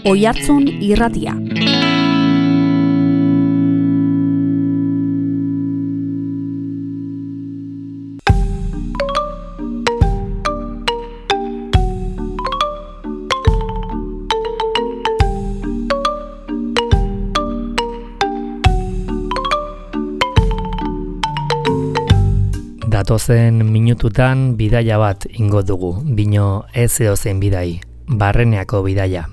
Oihartzun Irratia. Datozen minututan bidaia bat ingo dugu, bino ez edozein bidai, Barreneako bidaia.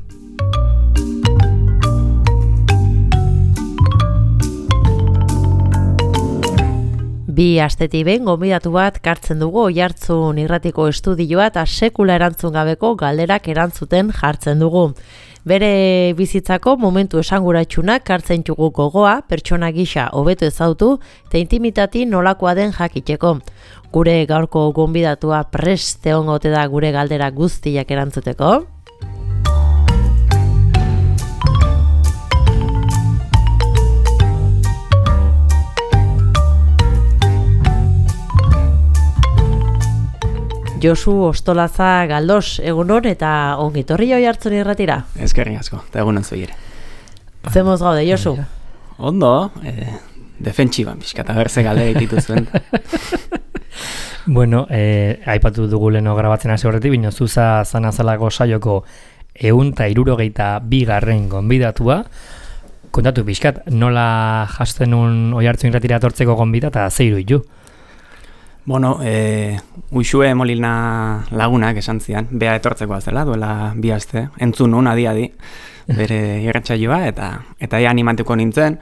Bi astetik behin gonbidatu bat kartzen dugu Oihartzun Irratiko estudioa eta sekula erantzun gabeko galderak erantzuten jartzen dugu. Bere bizitzako momentu esanguratsunak kartzen dugu gogoa, pertsona gisa hobeto ezautu eta intimitati nolakoa den jakiteko. Gure gaurko gonbidatua prest egongo ote da gure galdera guztiak erantzuteko. Josu Ostolaza Galdos, egunon eta ongitorri Oihartzun Irratira. Eskerrik asko, eta egunon zui ere. Zemoz gaude, Josu? Ondo, defentsiban, pixka, eta berze galde ditu zuen. Bueno, aipatu dugu leno grabatzen hasi horretik, bino zuza zanazalako saioko 162. Gonbidatua. Kontatu pixkat, nola jasten un Oihartzun Irratira etortzeko gonbida eta zeiru idu? Bueno, Uxue Molina lagunak esan zian, bea etortzeko azela, duela 2 aste, entzun nun adi, bere irratsaioa eta animatuko nintzen,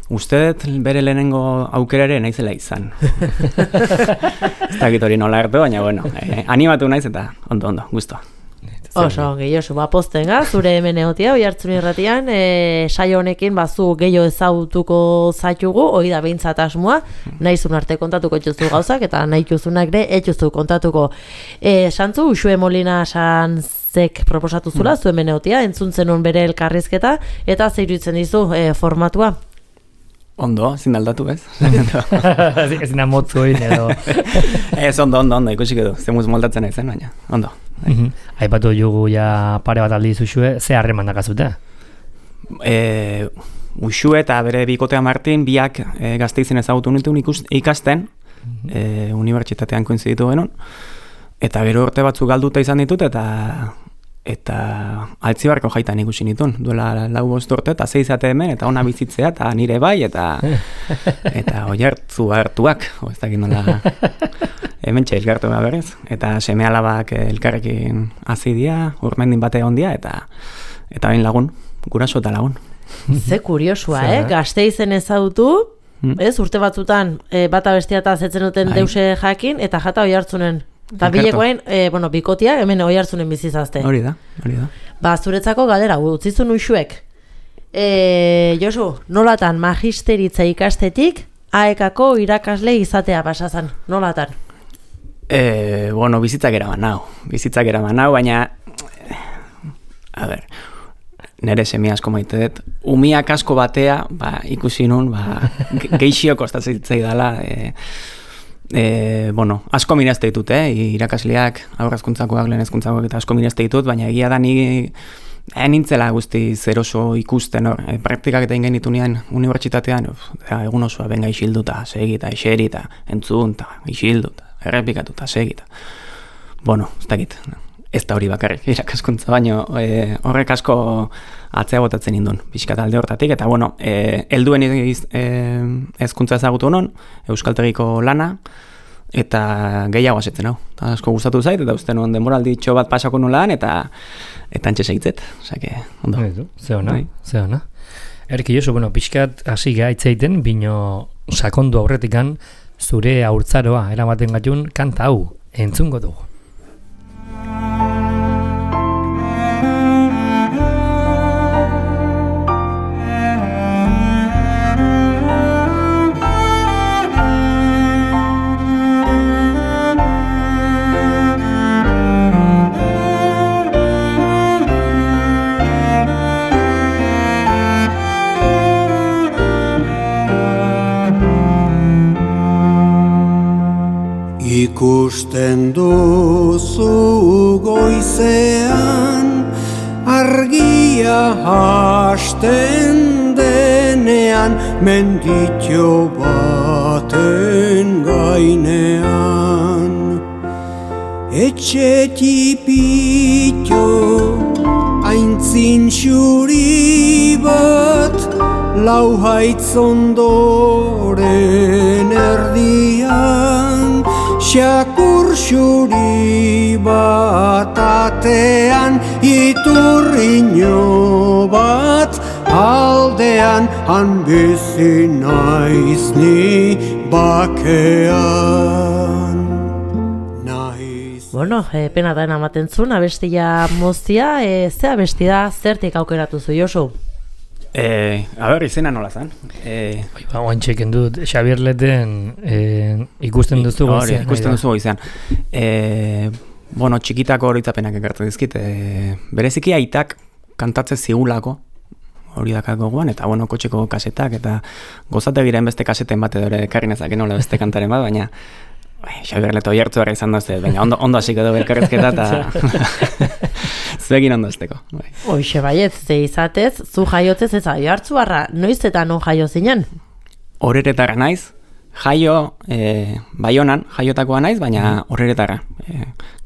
uste dut bere lehenengo aukerare naizela izan. Ez dakit hori nola hartu, baina bueno, animatu naiz eta ondo, gustoa. Oso, Josu, posten zure hemen egotia, Oihartzun Irratian, saio honekin bazu gehiago ezautuko zaitugu, hori da behintzat asmoa, nahizun arte kontatuko etxuzu gauzak, eta nahi juzunak ere etxuzu kontatuko. Santzu, Uxue Molina Sanzek proposatu zula, zu hemen egotia, entzun zenun bere elkarrizketa, eta zeiruditzen dizu formatua. Ondo, ezin aldatu, ez? Ezin amotzu egin edo. Ez, ondo, ikusiko du, zemuz moldatzen ezen, baina, ondo. Aipatu jugu ja pare bat aldiz Uxue, ze harreman dakazute? Uxue eta bere bikotea Martin, biak Gasteizen ezagutu nituen ikasten, unibertsitatean koinziditu genuen, eta gero urte batzuk galduta izan ditut, eta Altzibarko jaitan ikusi nituen, duela 4-5 urte, eta 6 hemen, eta ona bizitzea, eta nire bai, eta Oihartzu hartuak, ez dakit nola, hemen txailgartu berez, eta seme alabak elkarrekin azidia, urmendin bate ondia, eta bain lagun, guraso eta lagun. Ze kuriosua, Gasteizen ezagutu, ez, urte batzutan, bata bestia eta zetzen duten deuse jakin, eta jata Oihartzunen. Eta bilekoen, bikotia, hemen Oihartzunen bizizazte. Hori da. Ba, zuretzako galdera, utzizun Uxuek. Josu, nolatan magisteritza ikastetik, AEK-ko irakasle izatea pasazan, nolatan? Bizitzak eraman nau, baina, nere semi asko maite dut, umiak asko batea, ikusi nun, geixio kostatzen zaidala, asko mirazte ditut, irakasleak, aurrezkuntzakoak, lehenezkuntzakoak eta asko mirazte ditut, baina egia da ni nintzela guzti zeroso ikusten, praktikak eta ingen ditunean unibertsitatean, egun osoa benga isilduta, segita, eserita, entzun, isilduta, errepikatuta, segita. Ez dakit, ez da hori bakarrik irakaskuntza, baina horrek asko atzea botatzen indun, pixka talde hortatik, eta helduen hezkuntza ezagutu non, euskaltegiko lana, eta gehiago asetzen hau. Asko gustatu zait, eta uste nuen denboralditxo bat pasako nulaan, eta antxe segitzet. Osake, ondo. Ze ona. Erki Josu, pixkat hasi gaitzeiten, bino sakondu aurretikan, zure haurtzaroa eramaten gatun kanta hau, entzungo dugu. Ikusten du hasten denean menditxo baten gainean. Etxe tipitxo aintzin xuri bat, lau haitz ondoren erdian, xakur xuri bat atean, iturriño bat aldean, han bizi naiz ni bakean. Bueno, pena da ematen zuen, abestia moztia, ze abestia zertik aukeratu zu, Josu? Izena nola zen? Oantxeken dut, Xabier Leten ikusten duzu goizean. Ikusten duzu goizean. Txikitako horitzapenak ekartu dizkit. Bereziki aitak kantatze zigulako, hori dakat gogoan, eta kotxeko kasetak, eta gozategiren beste kaseten bat edo ere karrinezak enola beste kantaren bat, baina Xabier Leto oiertzu gara izan dazte, baina ondo hasiko dugu elkarrezketa eta zuekin ondo azteko. Hoxe baiet, ze izatez, zu jaiotzez ez oiertzu harra, noiz eta non jaio zinen? Horeretara naiz, jaio Baionan, jaiotakoa naiz, baina horeretara.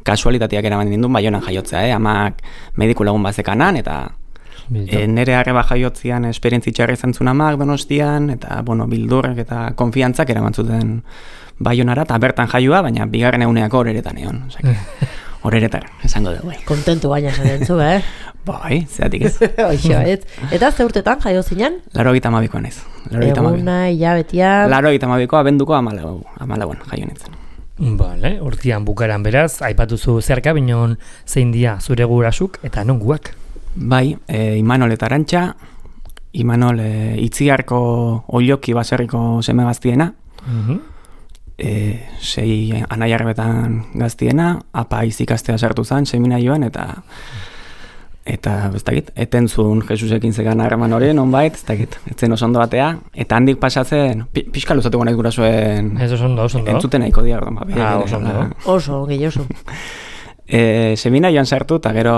Kasualitateak eraman dindun Baionan jaiotzea, amak mediku lagun bazekanan, eta nere arreba jaiotzian esperientzitxarra izan zuen amak Donostian, eta bildurrek eta konfiantzak eraman zuten Baionara, eta bertan jaioa, baina bigarren eguneako horeretan egon. Horeretara, esango dugu. Kontentu baina esaten zu, Bai, zeatik ez. Eta ze urtetan jaio zinen? 82koa naiz. Eguna, hilabetia... 82ko abenduko 14 jaio nintzen. Bale, urtean bukaran beraz, aipatuzu zerka, binon zein dia zure gurasuk eta non guak? Bai, Imanol eta Arantxa, Imanol Itziarko Oioki baserriko seme gaztiena, sei anaiarbetan gaztiena, apa izikastea sartu zen, seminaioan, eta ez dakit, eten zuen Jesusekin zegan harreman hori, nonbait, ez dakit, etzen oso ondo batea, eta handik pasatzen, pixka luzatuko nahiz gurasoen entzuten nahiko dia, oso, gehioso. Seminaioan sartu, eta gero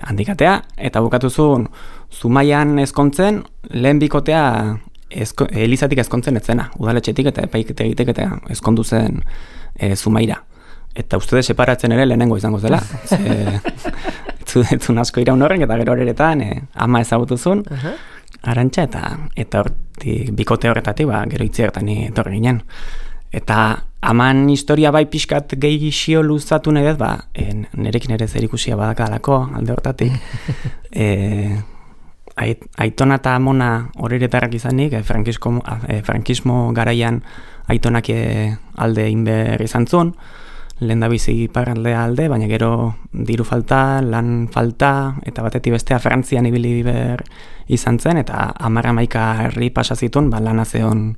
handikatea, eta bukatu zuen, Zumaian ezkontzen, lehen bikotea Elizatik ezkontzen etzena, udaletxetik eta epaiketegitek eta ezkondu zen Zumaira. Eta uste separatzen ere lehenengo izango zela. Etzun asko iraun horren, eta gero horeretan ama ezagutu zuen, Arantxa, eta bikote horretatik, gero Itziartan etorri ginen. Eta aman historia bai pixkat gehixio luzatu nahi dut, nerekin ere zerikusia badakalako alde horretatik. Aitona eta amona horeretarrak izanik, frankismo garaian aitonak alde inber izan zuen, lehen da bizi iparraldea alde, baina gero diru falta, lan falta, eta batetik bestea Frantzian ibili ber izan zen, eta 10 herri pasazitun, lana zeon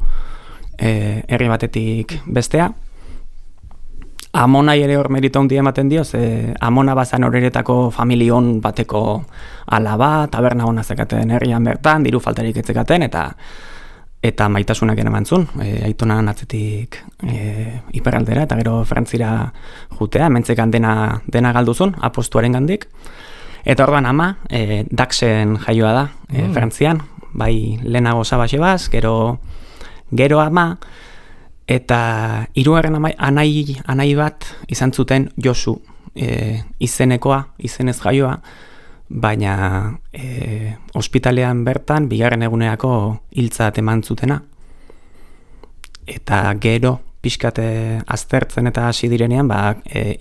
herri batetik bestea. Amonai ere hor merito handia ematen dio, Amona bazan horeretako familion bateko alaba, taberna hona zekaten herrian bertan, diru faltarik etzekaten, eta maitasunak ere mantzun, aitonan atzetik iparraldera, eta gero Frantzira jutea, mentzekan dena galduzun, apostuaren gandik. Eta orduan ama, Daxen jaioa da, Frantzian, bai lehenago Sabasebaz, gero ama, eta hirugarren anai bat izan zuten Josu, izenekoa, izenez jaioa, baina ospitalean bertan bigarren eguneako hiltzat eman zutena. Eta gero pixkate aztertzen eta hasi direnean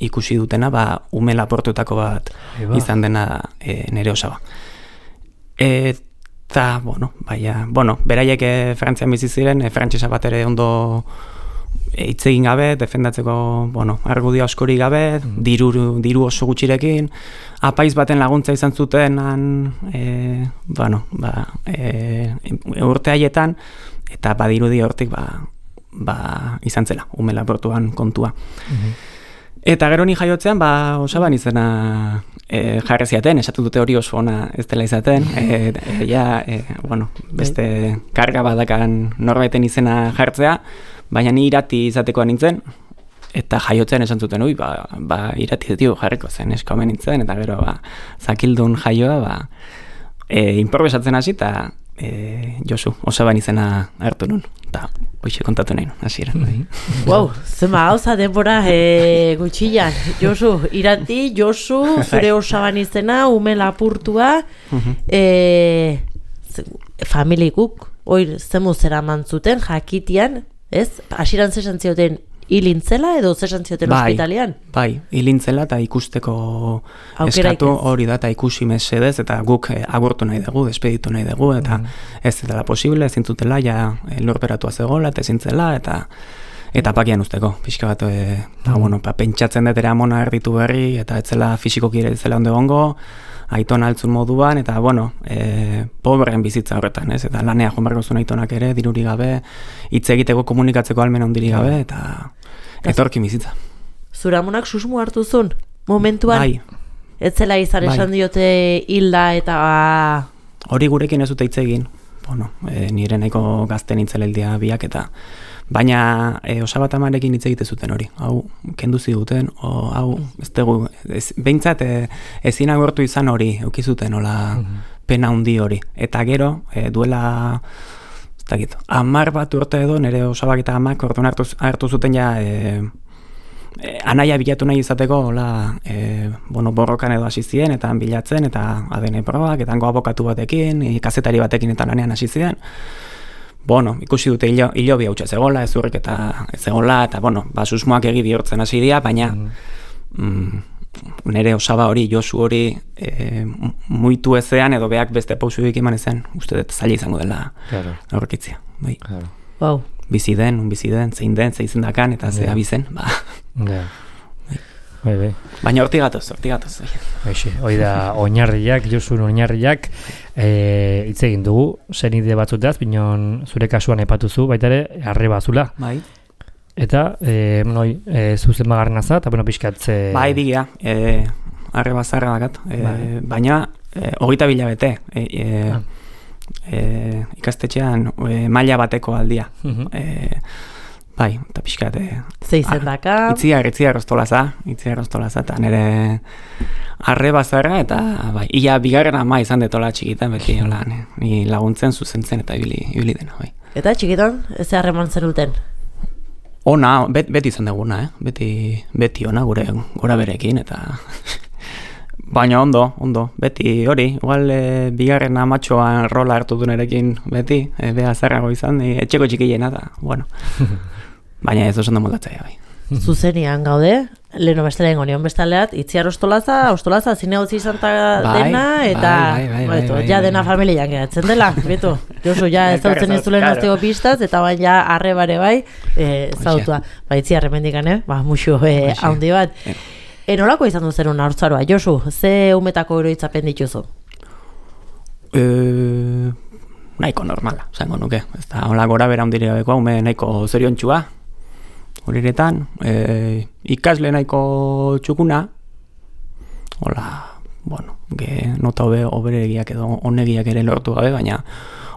ikusi dutena ume laportutako bat izan dena nere osaba. Eta, beraiek Frantzian bizi ziren, frantsesa bat ere ondo hitz egin gabe, defendatzeko, argudio askori gabe, diru oso gutxirekin, apaiz baten laguntza izan zuten urte haietan, eta badirudi hortik izan zela, ume laportuan kontua. Eta gero ni jaiotzean, osaban izena jarri ziaten, esatu dute hori oso ona ez dela izaten, beste karga badakan norbaiten izena jartzea, baina ni irati izatekoa nintzen, eta jaiotzen esan zuten, irati jarriko zen, eska omen nintzen, eta gero zakildun jaioa, improvisatzen hasi, eta Josu, Osaban izena hartu nun, eta hoxe kontatu nahi, hasieran. Wow, zema hauza denbora gutxian. Josu, Iranti, Josu, zure Osaban izena, ume lapurtua, familikuk, oir zemu zera mantzuten, jakitian, ez? Hasieran zesan zioten hilintzela edo zesan zioten ospitalian? Bai, hilintzela eta ikusteko Aukera eskatu hori da, eta ikusi mesedez, eta guk agurtu nahi dugu, despeditu nahi dugu, eta ez dela posible, ezin zutela, ja lurperatua zegoela, eta ezin zela, eta pakian usteko, pixka bat, pentsatzen dut ere amona erditu berri, eta etzela fisikoki ere etzela ondo gongo, aiton altzun moduan, eta pobreen bizitza horretan, ez? Eta lanea joan barko zuen aitonak ere, diruri gabe, hitz egiteko komunikatzeko almen ondiri gabe, eta etorkin bizitza. Zura amonak susmu hartu zuen, momentuan? Bai. Etzela izan esan diote hilda eta... Hori gurekin ez dute hitz egin, nire nahiko gazten intzeleldia biak, eta baina Osabat amarekin hitz egite zuten hori, hau kendu ziguten, hau ez dugu, behintzat ezin agortu izan hori, eukizuten hola pena handi hori, eta gero duela, ez dakit, 10 bat urte edo, nire Osabak eta amak orduan hartu zuten ja anaia bilatu nahi izateko, hola, borrokan edo hasi ziren, eta bilatzen, eta ADN probak, eta hango abokatu batekin, kazetari batekin eta lanean hasi ziren. Ikusi dute hilobi hautsa zegoela, ezurrik eta zegoela, eta susmoak egi bihurtzen hasi dira, baina nire Osaba hori, Josu hori muitu ezean, edo beak beste pausuik eman ezean, uste dut zaila izango dela aurkitzia. Wow. Bizi den, zein den, zein dakan, eta ze abizen, Baina horti gatoz. Hoi da, oinarriak, Josun oinarriak, hitz egin dugu, zenide batzutaz, binon zure kasuan epatuzu, baita ere, arreba zula. Bai. Eta, zuzen magarren azat, eta pixkatze... Bai, bigia, arreba zarra dakat, baina, 20 bilabete, ikastetxean maila bateko aldia. Bai, eta pixkat... Zeizen daka... Itziar ostolaza, eta nire arreba zarra, eta ia bigarren ama izan detola txikitan, beti ni laguntzen, zuzentzen, eta ibili dena, bai. Eta txikitan, ez harreman zenuten? Ona, beti izan duguna, beti ona gora berekin, eta... Baina ondo, beti hori, igual bigarren amatxoan rola hartu du nerekin beti, beha zarrago izan, etxeko txikiena da, baina ez oso ondo moldatzea, bai. Zuzenian gaude, leheno bestelen gonion bestaleat, Itziar ostolaza, zine hau izan dena, eta ja dena familian geratzen dela, beto, Josu, ja ez zautzen ez dulen aztego pistaz, eta baina arrebare bai, zautua, Itziar remendikan, muxu haundi bat. Nolako izan duzen haurtzaroa, Josu, ze umetako oroitzapen dituzu? Nahiko normala, zango nuke. Ez da, hola gora bera hundiri gabeko, nahiko zoriontxua, horiretan, ikasle nahiko txukuna, hola, nota oberegiak edo onegiak ere lortu gabe, baina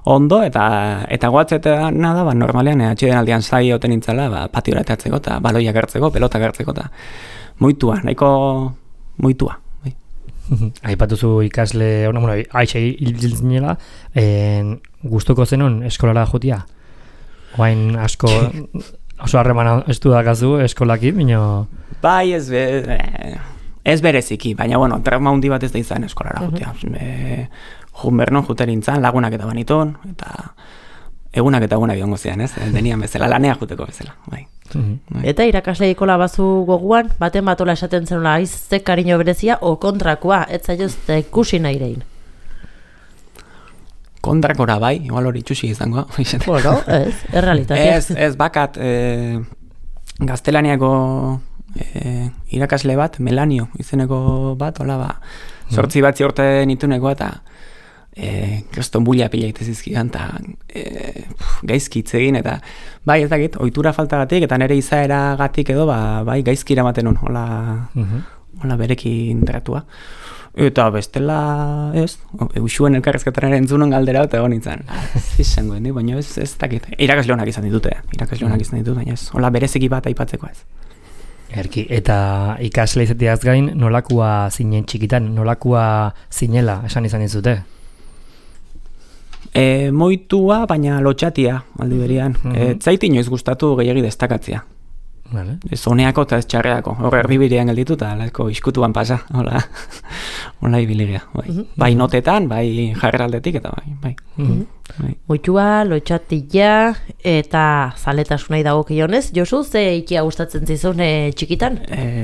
ondo, eta goatzetan da, normalean, atxiden aldean zai oten nintzela, patiora etartzeko, eta baloiak hartzeko, pelotak hartzeko, eta moitua, nahiko moitua. Aipatuzu ikasle, aixe hilzinela, guztoko zenon eskolara jotia? Oain asko, oso harreman estu dakazu eskolakin, bino... Bai, ez bereziki, baina, trauma hundi bat ez da izan eskolara jotia. Junbernon juterintzan, lagunak eta banitun, eta egunak eta egunak biongo zian, ez? Denian bezala, lanea juteko bezala, bai. Eta irakasleikola bazu goguan, baten batola esaten zenula aizte kariño berezia, o kontrakoa, ez zailozte ikusi nahi rein? Kontrakora bai, igual hori txusi izango. Ez, errealitatea. Ez bakat, gaztelaniako irakasle bat, Melanio izeneko bat, hola 8 bat ziorte nituneko, eta kriston bulia pila itezizkidan, eta gaizki itzegin, eta bai ez dakit, ohitura faltagatik, eta nire izaera gatik edo, bai gaizki iramaten hon, hola berekin tratua. Eta bestela, ez, usuen elkarrezketaren entzunon galdera, eta egon nintzen. Izango, baina ez dakit. Irakasle honak izan ditut, baina ez, hola berezeki bat aipatzeko ez. Erki, eta ikasle izateaz gain, nolakoa zinen txikitan, nolakoa zinela, esan izan dizute? Moitua, baina lotxatia, aldi berian. Zait inoiz gustatu gehiagi destakatzea. Vale. Ez honeako eta ez txarreako. Hor erdibidean gelditu eta lako iskutuan pasa. Hola ibiligia. Bai notetan, bai jarreraldetik eta bai. Moitua, lotxatia eta zaletasuna dagokionez. Josu, ze ikia gustatzen zizun txikitan?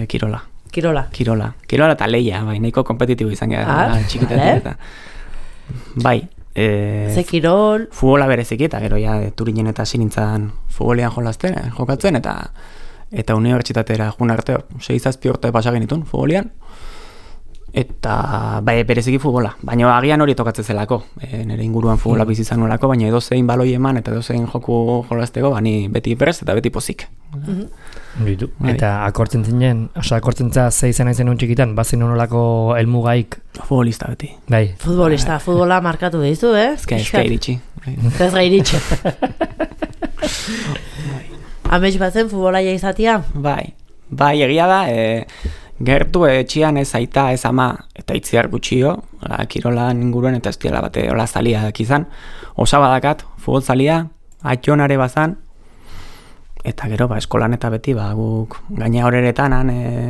Kirola. Kirola eta leia, bai, nahiko kompetitibo izan gara txikitatik eta. Bai. Ze kirol? Futbola bereziki eta gero ja Turinen eta sinintzan futbolean jokatzen eta unibertsitatera joan arte 6-7 urte pasa genitun futbolean. Eta bai, bereziki futbola, baina agian hori tokatzen zelako. Nire inguruan futbola bizi izan nolako, baina edozein baloi eman eta edozein joku jolasteko, bani beti prest eta beti pozik. Eta akortzen za ze izan aizen un txikitan, bazin nolako helmugaik? Futbolista beti. Bai. Futbola markatu dizu, Ezka iritsi. Ez gai iritsi. Amets batzen futbolaia izatea? Bai, egia da, gertu etxian ez aita ez ama eta itziar gutxio, kirolan inguruen eta ez diela bate hola zaliak izan. Osabadakat, futbol zalia, atxonare bazan, eta gero eskolan eta beti guk gaina horeretan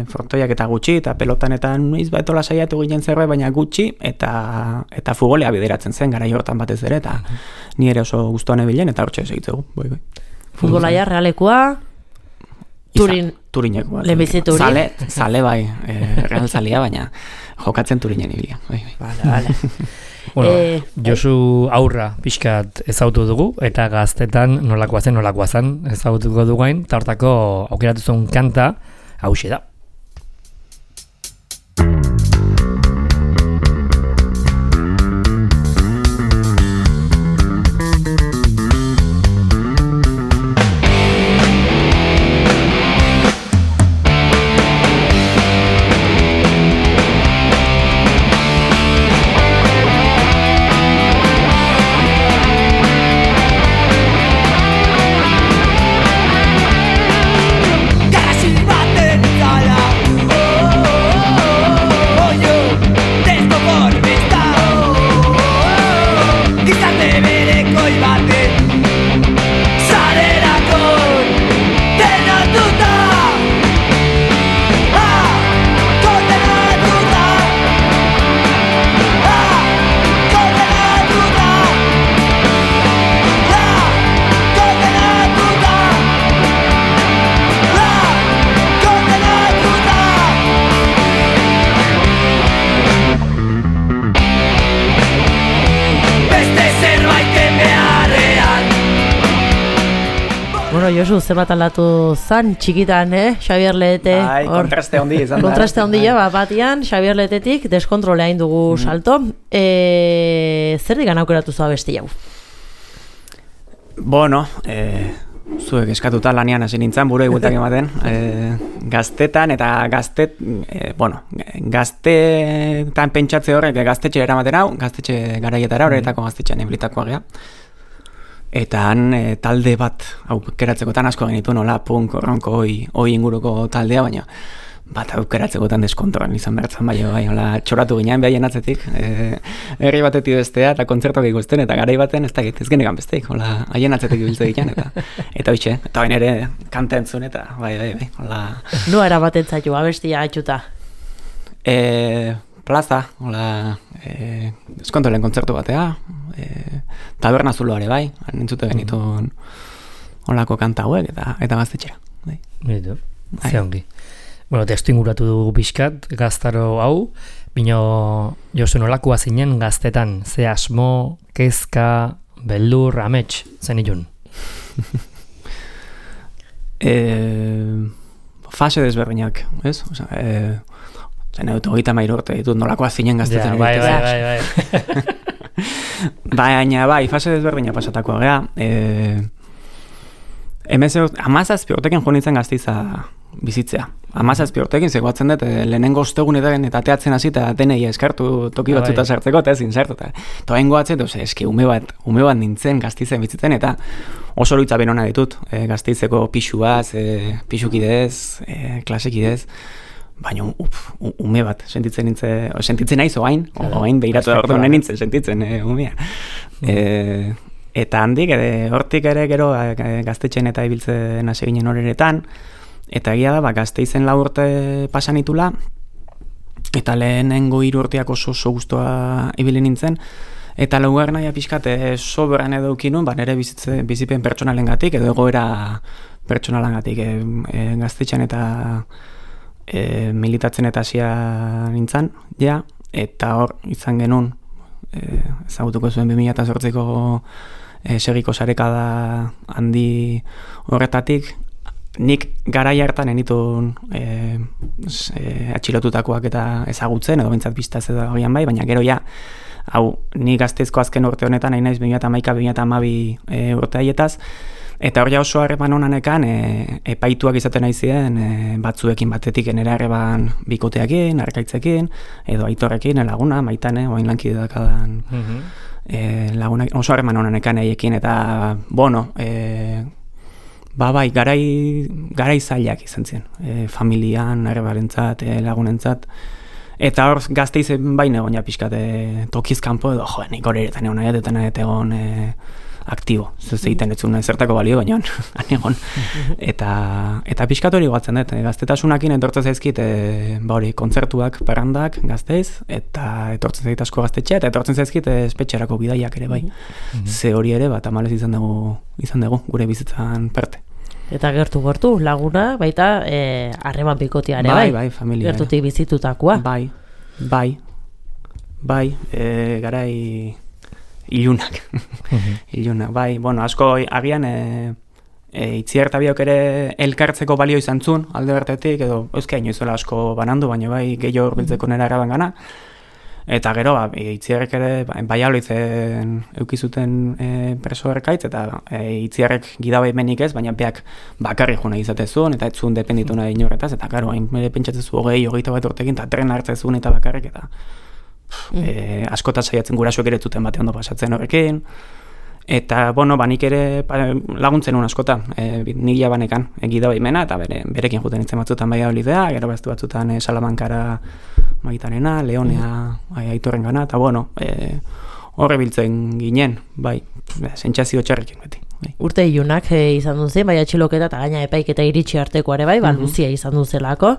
frontoiak eta gutxi eta pelotanetan noiz etola saiatu ginen zerbait baina gutxi eta futbolea bideratzen zen garai hortan batez ere eta ni ere oso gustuan ebilen eta hortxe segitzegu. Bai. Futbolaia realekua Turinekoa. Lehenbizi Turin. Zale bai, real zalia, baina jokatzen Turinen ibilia. Vale. Bueno, Josu aurra pixkat ezautu dugu, eta gaztetan nolakoa zen ezautuko dugain, eta hortako aukeratu zuen kanta, hauxe da. Josu, zebat aldatu zan txikitan, Xabier Lehete. Bai, kontraste handi izan da. Kontraste handia, batian, Xabier Lehetetik deskontrolea indugu salto. Zer digan aukeratu zua besti jau? Bueno, zuek eskatuta lanian hasi nintzen, buru egutak ematen. Gaztetan eta gaztetan pentsatze horrek gaztetxe eramaten hau, gaztetxe garaietara horretako gaztetxean eblitakoa gea. Eta han talde bat aukeratzekotan asko genitu nola punk, ronko, oi inguruko taldea, baina bat aukeratzekotan deskontroan izan bertzen bai, hola txoratu ginean behaien atzetik, herri batetik bestea eta kontzertuak ikusten eta garai baten ez genekan besteik, hola haien atzetik ibiltze ditan eta hoitxe, eta bain ere kanta entzun eta bai, hola. Noa erabaten zaitu, abestia atxuta? Plaza, hola, eskontolen kontzertu batea, taberna zuloare bai, entzute genituen holako kanta hauek eta gaztetxera. Bitu, ze ongi. Bueno, testu inguratu dugu pixkat, gaztaro hau, bino Josu nolakoa zinen gaztetan, ze asmo, kezka, beldur, amets, zen ilun? Fase desberdinak, ez? Zen dut 33 urte ditut nolakoa zinen gaztetan. Bai. Baina, fase desberdina pasatakoa gea. 17 urtekin joan nintzen Gasteiza bizitzea. 17 urtekin zegoatzen dut, lehenengo ostegunetan eta teatzen hasi eta denei eskartu toki batzuta sartzeko eta ezin sartu. Eta hain goatzen, eski ume bat nintzen Gasteizen bizitzen eta oso loitza benona ditut. Gasteizeko pixuaz, pixukidez, klasekidez. baina ume bat, sentitzen naiz oain behiratu da orduan nintzen, sentitzen umea. Eta handik, hortik ere gero gaztetxen eta ibiltzen hasi ginen horretan, eta egia da, Gasteizen 4 urte pasan itula, eta lehenengo 3 urteak oso guztua ibili nintzen, eta laugarren naia pixkat sobran edo ukinun, nire bizipen pertsonalengatik edo egoera pertsonalengatik gaztetxean eta militatzen eta hasia nintzen, ja, eta hor izan genuen, ezagutuko zuen 2008ko segiko sarekada handi horretatik, nik garai hartan enitun atxilotutakoak eta ezagutzen, edo bintzat biztaz edo agian bai, baina gero ja, hau, ni Gasteizko azken urte honetan, nahi naiz 2011-2012 urte haietaz, eta hor ja oso harreman honanekan epaituak izaten nahi ziren batzuekin batetik nire harreman bikoteakin, arkaitzekin, edo aitorrekin, laguna, maitane, oain lankide dakadan lagunak, oso harreman honanekan eiekin, eta, bueno, bai, garai zailak izan ziren, familian, harrebarentzat, lagunentzat, eta hor Gasteizen baina egon ja pixkat tokizkanpo edo, nik hori eretan egon egon aktibo, egiten ez zuen zertako balio, baina han egon. Eta pixkat hori goatzen dut, gaztetasunakin entortzen zaizkit hori kontzertuak, parrandak, Gasteiz, eta etortzen zait asko gaztetxea, eta etortzen zaizkit espetxerako bidaiak ere bai. Ze hori ere, tamalez izan dugu gure bizitzan parte. Eta gertu laguna, baita harreman bikoteare, bai? Bai, familia. Gertutik bizitutakoa. Bai, garai ilunak. Ilunak, bai, bueno, asko agian Itziar eta biok ere elkartzeko balio izan zuen, alde bertetik, edo euskea inoizuela asko banandu, baina bai gehiago urbiltzeko nera araban gana. Eta gero, Itziarrek ere, Baialoitzen eukizuten preso erkaitz, eta Itziarrek gidabe menik ez, baina beak bakarri juna izatezun, eta ez zuen dependitu nahi inorretaz, eta gero, hain pentsatzezu 20-21 urtekin, eta tren hartzezun eta bakarrik, eta askotan saiatzen gurasoek ere zuten bate ondo pasatzen horrekin, eta, bueno, nik ere laguntzen un askota, nila banekan gidabe imena, eta berekin juten itzen batzutan Baialodea, gero beste batzutan Salamankara Maitanena, Leonea Aitorren gana, eta bueno, horre biltzen ginen, bai, sentsazio txarrekin beti. Bai. Urte ilunak izan duen zen, bai atxiloketa eta gaina epaiketa iritsi artekoare bai, luzia izan duen zelako.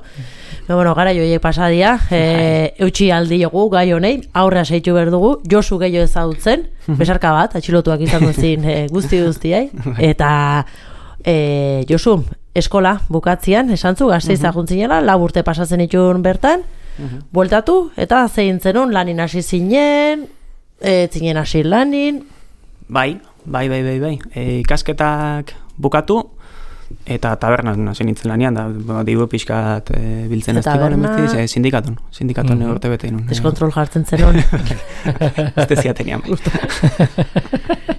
Bueno, gara joiek pasadia, eutxi aldi jogu gai honei, aurra seitu behar dugu, Josu gehiago ezagutzen, besarka bat, atxilotuak izan duen guztiai, eta Josu, eskola bukatzian, esantzu, Gasteiz aguntzinela, 4 urte pasatzen itun bertan, bueltatu, eta zein zenun, lanin hasi zinen, zinen hasi lanin. Bai. Ikasketak bukatu, eta tabernan hasi nintzen lanian, da diru pixkat biltzen ez dikoren, sindikaton urte bete inun. Deskontrol jartzen zenun. Ez deziatenian.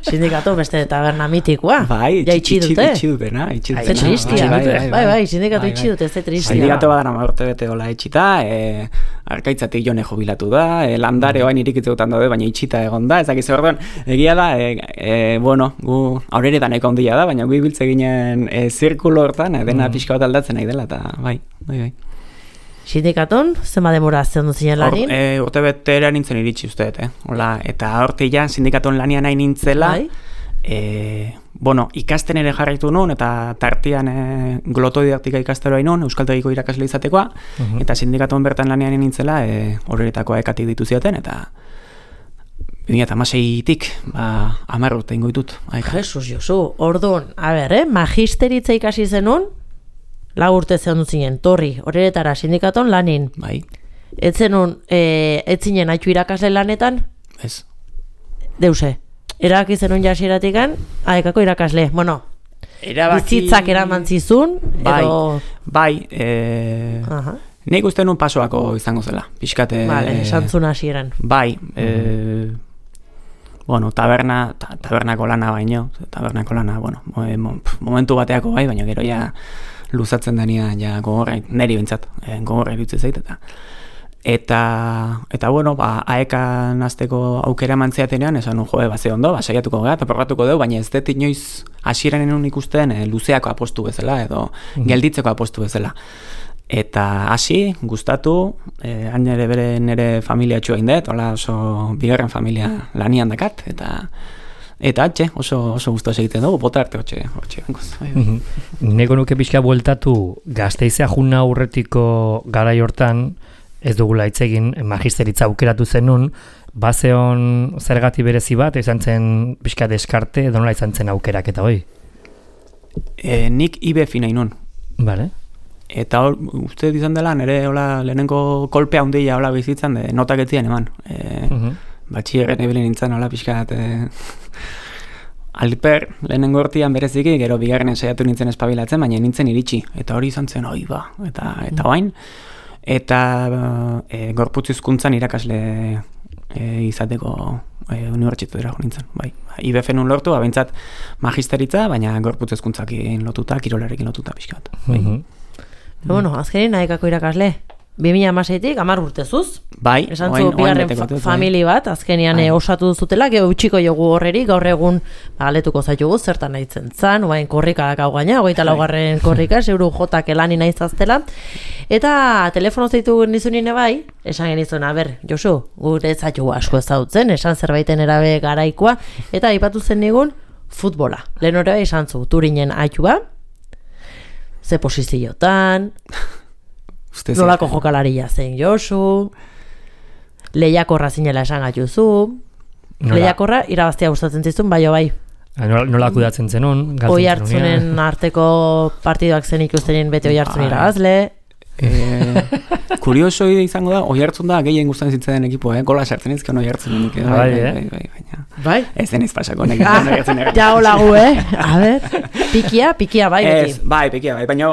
Sindikato beste taberna mitikoa. Bai, itxi dutena. Ze tristia. Bai, sindikato itxi dute, ze tristia. Sindikato badana urte bete hola itxita, arkaitzatik jone jubilatu da, landare oain irikitzegutan daude, baina itxita egon da, ezakiz orduan, egia da, bueno, gu aurreretan eko ondia da, baina gu ibiltze ginen zirkulo hortan, dena pixka bat aldatzen nahi dela, eta bai. Sindikaton, zenba demora zen duzien lanin? Urte betera nintzen iritsi usteet, eta horti ja, sindikaton lanian nahi nintzela, bueno, ikasten ere jarraitu nun, eta tartian glotodidaktika ikasteroa nun, euskaltegiko irakasle izatekoa, eta sindikaton bertan lanean nintzela, horretakoa ekatik ditu ziaten, eta 2016-tik, 10 urte ingo ditut. Jesus, Josu, orduan, magisteritza ikasi zenun, 4 urte zehan duzinen, torri, horretara sindikaton lanin. Bai. Etzenun, etzinen haitu irakasle lanetan? Ez. Deuse. Erabaki zenun jasieratikan, aekako irakasle. Bueno, bizitzak eraman zizun, edo... Bai, nik uste nun pasoako izango zela, pixkate... Vale, esantzun hasieran. Bai, bueno, tabernako lana baino, bueno, momentu bateako bai, baina gero ja luzatzen denean ja gogorra, neri bintzat, gogorra irutzen zait, eta bueno, aekan azteko aukera mantzeatenean, esan jo, ze ondo, saiatuko gara, eta probatuko dugu, baina ez dut inoiz hasieran ikusten luzeako apostu bezala, edo gelditzeko apostu bezala. Eta hasi, gustatu, hain ere nire familia txua indet, hola oso bigarren familia lanian dakat, eta atxe, oso guztua egiten dugu, bota arte hortxe bengoz. Nego nuke pixka bueltatu Gasteizea juna aurretiko garai hortan, ez dugula hitz egin magisteritza aukeratu zenun, bazeon zergati berezi bat, izan zen pixka deskarte, edo nola izan zen aukerak eta hoi? Nik IBF nahi nun. Vale. Eta hor, uste izan dela, nire lehenengo kolpea handia hola bizitzan, notak etzien eman. Batxierren ebile nintzen hola pixkat... Alper, lehenengo hortian bereziki, gero bigarren saiatu nintzen espabilatzen, baina nintzen iritsi. Eta hori izan zen, oi ba, eta bain. Eta gorputz hizkuntzan irakasle izateko unibertsitatera jo nintzen. Bai, IBF nun lortu, abentzat magisteritza, baina gorputz hizkuntzakin lotuta, kirolarekin lotuta pixkat. Bueno, azkenin nahikako irakasle. 2016tik 10 urtezuz. Bai, esan zu bigarren famili bat, azkenian osatu duzutela, gero utxiko jogu horreri, gaur egun galetuko zaitugu, zertan nahitzen zan, oain korrikadak hau gaina, 24. korrika, zeuru jotak elani nahizaztela. Eta telefono zeitu nizunine bai, esan genizun, Josu, gure zaitugu asko ezautzen, esan zerbaiten erabe garaikoa, eta aipatu zen nigun, futbola. Lehen hori esan zu, Turinen aitua, ze posiziotan, nolako jokalaria zen Josu, lehiakorra zinela esan gatuzu, lehiakorra irabaztea gustatzen zizun, bai. Nola kudatzen zenun, oi hartzunen arteko partidoak zen ikustenin bete oi hartzun irabazle. Kurioso izango da, oi hartzun da gehien gustatzen zitzen ekipo, gola sartzen ezken oi hartzun nik. Bai? Ez denez pasako nek. Ja holagu, a ber, pikia bai beti. Bai, pikia bai, baina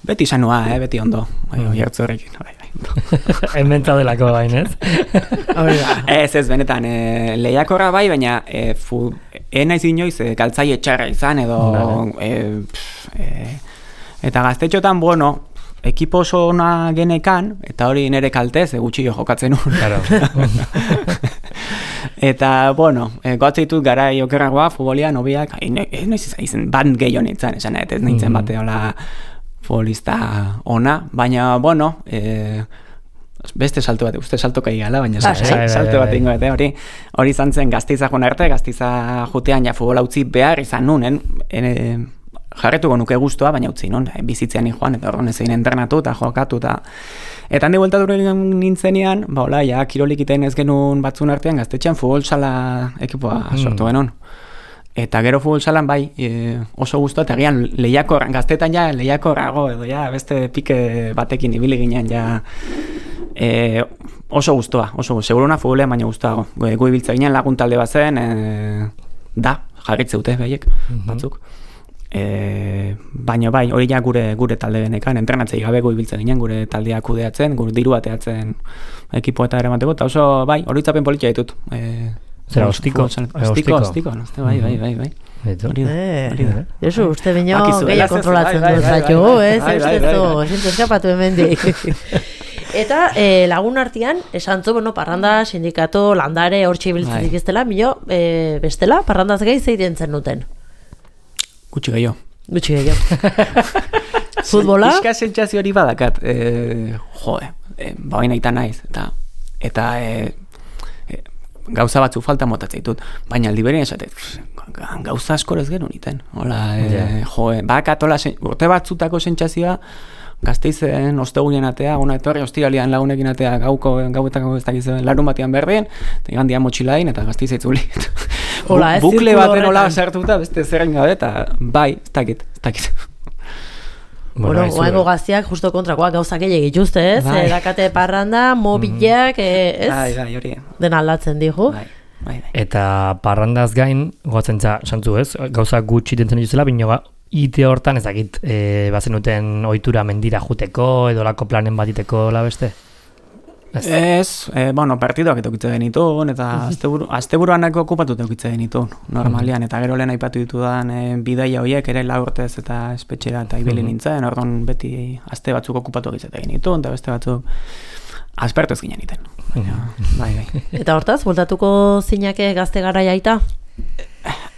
beti sanua, beti ondo, oi hartzu horrekin, bai. Enbenta delako bain, ez? Ez, benetan, lehiakorra bai, baina naiz inoiz galtzaile txarra izan, edo eta gaztetxotan, bueno, ekipo oso ona genekan, eta hori nire kaltez, gutxillo jokatzen un. Eta, bueno, goatzeitu gara okerragoa, futbolian, obiak, naiz izan, band gehiago nintzen, esan ez nintzen bate hola futbolista ona, baina, bueno, beste salto bat, uste salto kai gala, baina salto bat ingo, hori izan zen Gasteiza joan arte, Gasteiza jutean ja futbola utzi behar izan nunen, jarretuko nuke guztua, baina utzi nun, bizitzean joan, eta orduan ezein entrenatu eta jokatu, eta handi bueltatu nintzenean, hola, ja, kirolik iten ez genuen batzun artean, Gaztetxean futbol sala ekipoa sortu genuen. Eta gero futbol salan bai, oso guztua, eta gian lehiakor, gaztetan ja lehiakorrago, edo ja, beste pike batekin ibili ginen, ja, oso guztua, seguruna futbolean baina guztuago. Gu ibiltza ginen laguntalde bat zen, jarritzeute behiek, batzuk. Baina bai, hori ja gure talde benekan, entrenatzei gabe gu ibiltza ginen, gure taldea kudeatzen, gure diru bateatzen ekipo eta eramateko, eta oso bai, hori itzapen politia ditut. Zera, ostiko, bai. Josu, uste bineo gehiago kontrolatzen dut zaitu, ez eskapatu hemendik. Eta lagun artean, esan zu, parranda, sindikato, landare, hortxe ibiltzen dikiztela, bestela, parrandaz gehi zeiten zen duten. Gutxi gehiago. Futbola? Iska sentsazio hori badakat, baina eta naiz, eta gauza batzu falta motatzen ditut, baina aldi berean esate, gauza askor ez genuen iten. Bakatola, urte batzutako sentsazioa, Gasteizen ostegunien atea, ona etorri ostiralian lagunekin atea, gauetako ez dakiz larun batean berdien, eta igandian motxilain, eta Gasteiz itzuli. Bukle baten hola sartuta, beste zerren gabe, eta bai, ez dakit. Oaingo gaztiak justo kontrakoak gauzak gehiagik dituzte, ez? Dakate parranda, mobilak, ez? Bai, hori. Den aldatzen digu. Bai. Eta parrandaz gain, goatzen santzu, ez? Gauzak gutxi dentzen dituzela, bino ite hortan ez dakit, bazen duten ohitura mendira juteko, edo lako planen batiteko la beste? Ez, partidoak eukitze genitun, eta asteburuanako okupatu eukitze genitun, normalian, eta gero lehen aipatu ditudan bidaia horiek ere urtez eta espetxera eta ibili nintzen, orduan beti aste batzuk okupatu eukitze genitun, eta beste batzuk aspertu ez ginen iten. Bai. Eta hortaz, bultatuko zinake gazte garaia aita?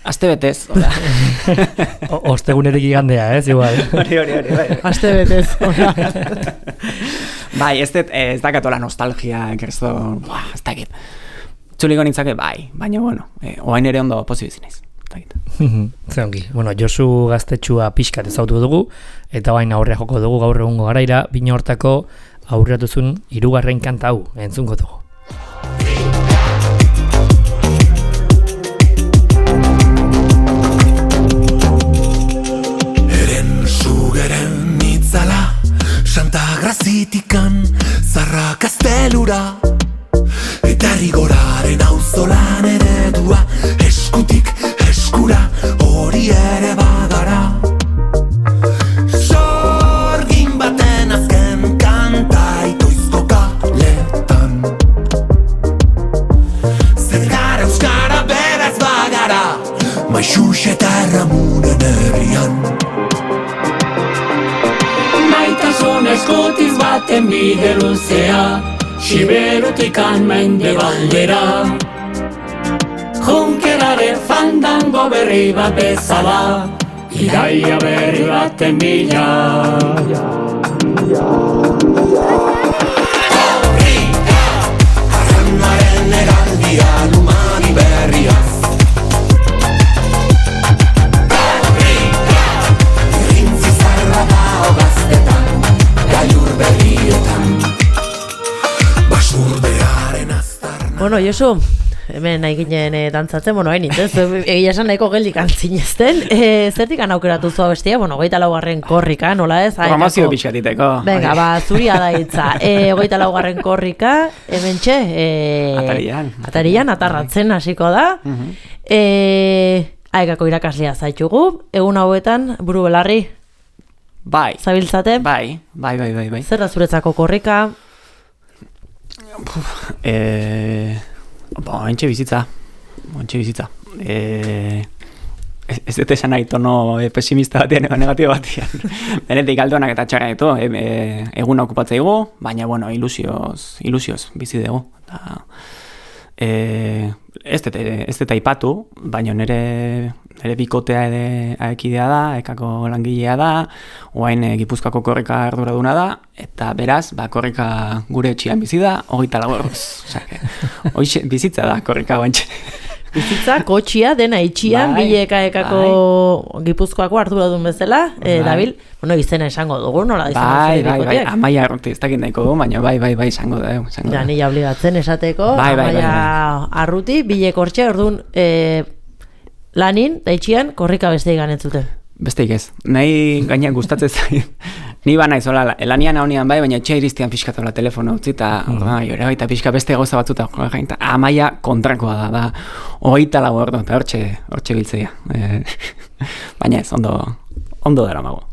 Aste betez. Ostegunetik igandea, igual. Hori. Aste betez. Bai, ez dakatola nostalgia, kerzo, ez dakit. Txuliko nintzake, bai, baina, bueno, oain ere ondo pozibizinez. Zeongi, Josu gaztetxua pixkat ezautu dugu, eta baina aurrea joko dugu gaur egungo garaira, bina hortako aurreatuzun 3. kanta hau, entzungo dugu. Santa Grazitikan zarra kastelura eta rigoraren auzolan eredua eskutik eskura hori ere bagara sorgin baten azken kanta itoizko kaletan zer gara euskara beraz bagara maixux eta erramunen herrian Maitasun eskutiz baten bide luzea Siberutikan mendebaldera Junkeraren fandango berri bat bezala Iraia berri baten bila Horrika, arranaren eraldia lumani berriaz Josu, hemen nahi ginen dantzatzen, hain nintzen, egia esan nahiko geldik antzinezten. Zertik aukeratu zua bestia, 24. korrika, nola ez? Programazio pixatiteko. Venga, zuria da hitza. 24. korrika, hemen txe, atarian, atarratzen hasiko da. Aekako irakaslea zaitugu, egun hauetan, buru belarri? Bai. Zabiltzate? Bai. Zer da zuretzako korrika? Entxe bizitza. Ez dut esan nahi tono pesimista batean edo negatibo batean. Benetik aldonak eta txarra ditu. Eguna okupatzaigu, baina, ilusioz bizi dugu. Ez dut aipatu, baina nire bikotea ere aekidea da, ekako langilea da, oain Gipuzkoako korrika arduraduna da, eta beraz, korrika gure etxian bizi da, 24 orduz. Hoxe bizitza da korrika guantxe. Bizitza, kotxia, dena itxian, bileka ekako Gipuzkoako arduradun bezala, dabil, izena esango dugu, nola izango bikoteak? Amaia Arruti, ez dakit nahiko du, baina bai, esango da. Ja, nila obligatzen esateko, Amaia Arruti, bilek hortxe, orduan, lanin, da itxian, korrika beste igan entzuten. Besteik ez. Nahi gainak gustatzen zain. Ni ba naiz, lanian haunian bai, baina etxea iristian pixkatola telefono utzi, eta jore baita pixka beste goza batzuta. Amaia kontrakoa da, 24 ordu, eta hortxe biltzea. Baina ez, ondo dara mago.